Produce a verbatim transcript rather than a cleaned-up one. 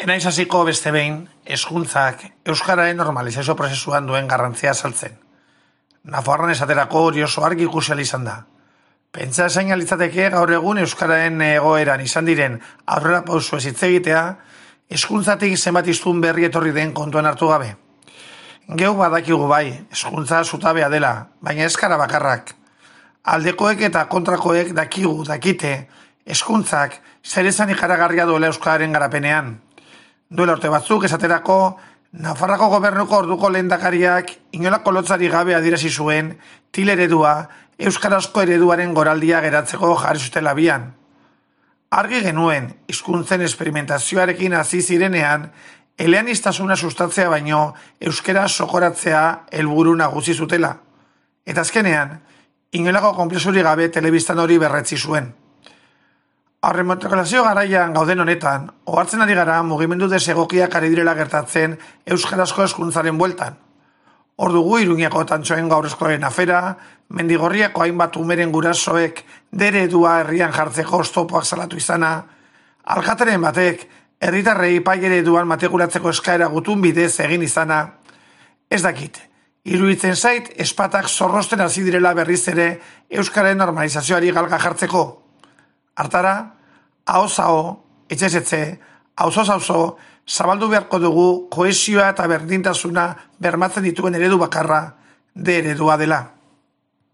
Enaiz hasiko beste behin, hezkuntzak euskararen normalizazio prozesuan duen garrantzia azaltzen. Nafarroan esaterako hori oso argi ikusi ahal izan da. Pentsa esain litzateke gaur egun euskararen egoeran izan diren aurrera pauso ez hitz egitea, hezkuntzatik zenbat hiztun berri etorri den kontuan hartu gabe. Geu badakigu bai, hezkuntza zutabea dela, baina ez gara bakarrak. Aldekoek eta kontrakoek dakigu, dakite, hezkuntzak zer esan ikaragarria duela euskararen garapenean. Duela urte batzuk esaterako, Nafarrako gobernuko orduko lehendakariak inolako lotzari gabe adierazi zuen til eredua euskarazko ereduaren goraldia geratzeko jarri zutela bian. Argi genuen, hizkuntzen esperimentazioarekin hasi zirenean, eleaniztasuna sustatzea baino euskara sokoratzea helburu nagusi zutela. Eta azkenean, inolako konplexurik gabe telebistan hori berretzi zuen. Aurremotokalazio garaian gauden honetan, ohartzen ari gara mugimendu desegokiak ari direla gertatzen euskarazko hezkuntzaren bueltan. Hor dugu Iruñako Tantxoen gaur eskolaren afera, Mendigorriako hainbat umeren gurasoek dere edua herrian jartzeko oztopoak salatu izana, alkateren batek herritarrei pai ereduan matrikulatzeko eskaera gutun bidez egin izana, ez dakit, iruditzen zait espatak zorrosten hasi direla berriz ere euskararen normalizazioari galga jartzeko. Hartara, ahoz-aho, etxez-etxe, auzoz-auzo, zabaldu beharko dugu kohesioa eta berdintasuna bermatzen dituen eredu bakarra, de eredua dela.